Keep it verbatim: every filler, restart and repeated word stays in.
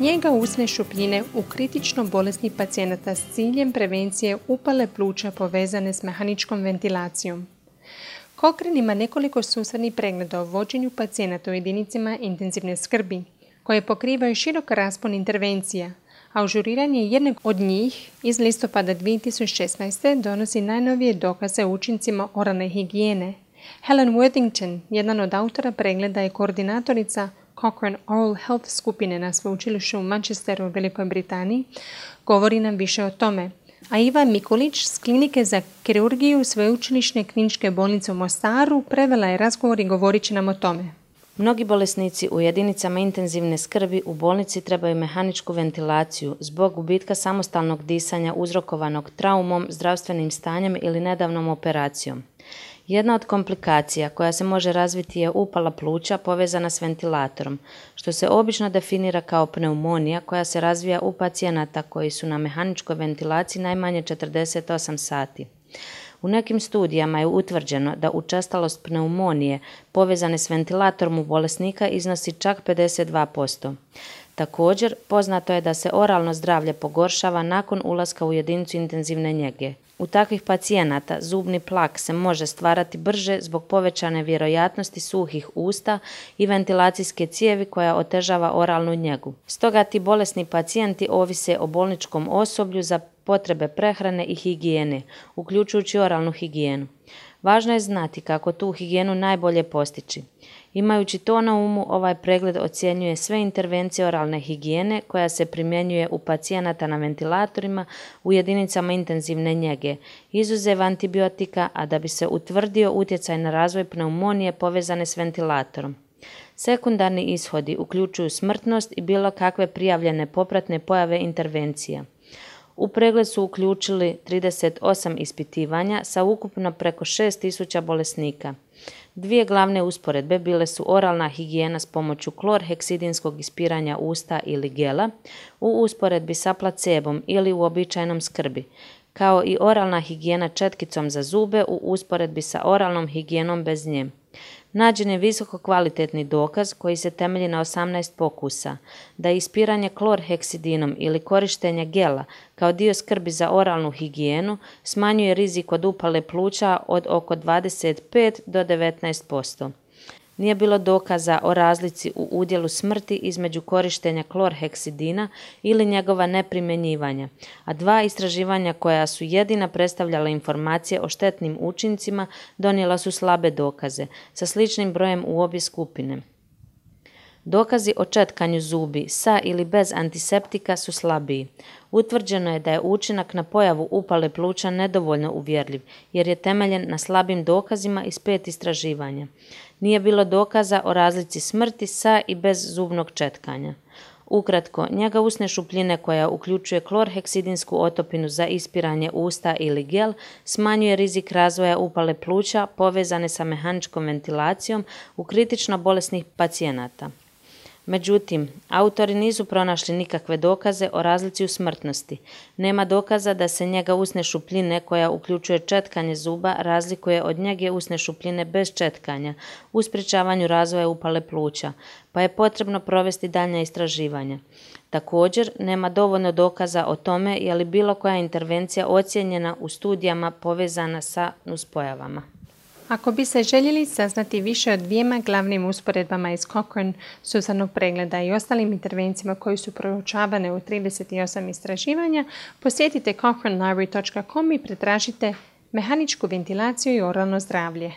Njega usne šupljine u kritično bolesnih pacijenata s ciljem prevencije upale pluća povezane s mehaničkom ventilacijom. Cochrane ima nekoliko sustavnih pregleda o vođenju pacijenata u jedinicama intenzivne skrbi, koje pokrivaju širok raspon intervencija, a ažuriranje jednog od njih iz listopada dvije tisuće šesnaeste. donosi najnovije dokaze o učincima oralne higijene. Helen Worthington, jedan od autora pregleda i koordinatorica Cochrane Oral Health skupine na sveučilištu u Manchesteru u Velikoj Britaniji, govori nam više o tome. A Iva Mikulić s klinike za kirurgiju Sveučilišne kliničke bolnice u Mostaru prevela je razgovor i govorit će nam o tome. Mnogi bolesnici u jedinicama intenzivne skrbi u bolnici trebaju mehaničku ventilaciju zbog gubitka samostalnog disanja uzrokovanog traumom, zdravstvenim stanjem ili nedavnom operacijom. Jedna od komplikacija koja se može razviti je upala pluća povezana s ventilatorom, što se obično definira kao pneumonija koja se razvija u pacijenata koji su na mehaničkoj ventilaciji najmanje četrdeset osam sati. U nekim studijama je utvrđeno da učestalost pneumonije povezane s ventilatorom u bolesnika iznosi čak pedeset dva posto. Također, poznato je da se oralno zdravlje pogoršava nakon ulaska u jedinicu intenzivne njege. U takvih pacijenata zubni plak se može stvarati brže zbog povećane vjerojatnosti suhih usta i ventilacijske cijevi koja otežava oralnu njegu. Stoga ti bolesni pacijenti ovise o bolničkom osoblju za potrebe prehrane i higijene, uključujući oralnu higijenu. Važno je znati kako tu higijenu najbolje postići. Imajući to na umu, ovaj pregled ocjenjuje sve intervencije oralne higijene koja se primjenjuje u pacijenata na ventilatorima u jedinicama intenzivne njege, izuzev antibiotika, a da bi se utvrdio utjecaj na razvoj pneumonije povezane s ventilatorom. Sekundarni ishodi uključuju smrtnost i bilo kakve prijavljene popratne pojave intervencija. U pregled su uključili trideset osam ispitivanja sa ukupno preko šest tisuća bolesnika. Dvije glavne usporedbe bile su oralna higijena s pomoću klorheksidinskog ispiranja usta ili gela u usporedbi sa placebom ili uobičajenom skrbi, kao i oralna higijena četkicom za zube u usporedbi sa oralnom higijenom bez nje. Nađen je visoko kvalitetni dokaz koji se temelji na osamnaest pokusa, da ispiranje klorheksidinom ili korištenje gela kao dio skrbi za oralnu higijenu smanjuje rizik od upale pluća od oko dvadeset pet do devetnaest posto. Nije bilo dokaza o razlici u udjelu smrti između korištenja klorheksidina ili njegova neprimjenjivanja, a dva istraživanja koja su jedina predstavljala informacije o štetnim učincima donijela su slabe dokaze, sa sličnim brojem u obje skupine. Dokazi o četkanju zubi sa ili bez antiseptika su slabiji. Utvrđeno je da je učinak na pojavu upale pluća nedovoljno uvjerljiv, jer je temeljen na slabim dokazima iz pet istraživanja. Nije bilo dokaza o razlici smrti sa i bez zubnog četkanja. Ukratko, njega usne šupljine koja uključuje klorheksidinsku otopinu za ispiranje usta ili gel smanjuje rizik razvoja upale pluća povezane sa mehaničkom ventilacijom u kritično bolesnih pacijenata. Međutim, autori nisu pronašli nikakve dokaze o razlici u smrtnosti. Nema dokaza da se njega usne šupljine koja uključuje četkanje zuba razlikuje od njege usne šupljine bez četkanja u sprječavanju razvoja upale pluća, pa je potrebno provesti daljnja istraživanja. Također, nema dovoljno dokaza o tome je li bilo koja intervencija ocijenjena u studijama povezana sa nuspojavama. Ako bi se željeli saznati više o dvijema glavnim usporedbama iz Cochrane sustavnog pregleda i ostalim intervencijama koji su proučavane u trideset osam istraživanja, posjetite cochrane library dot com i pretražite mehaničku ventilaciju i oralno zdravlje.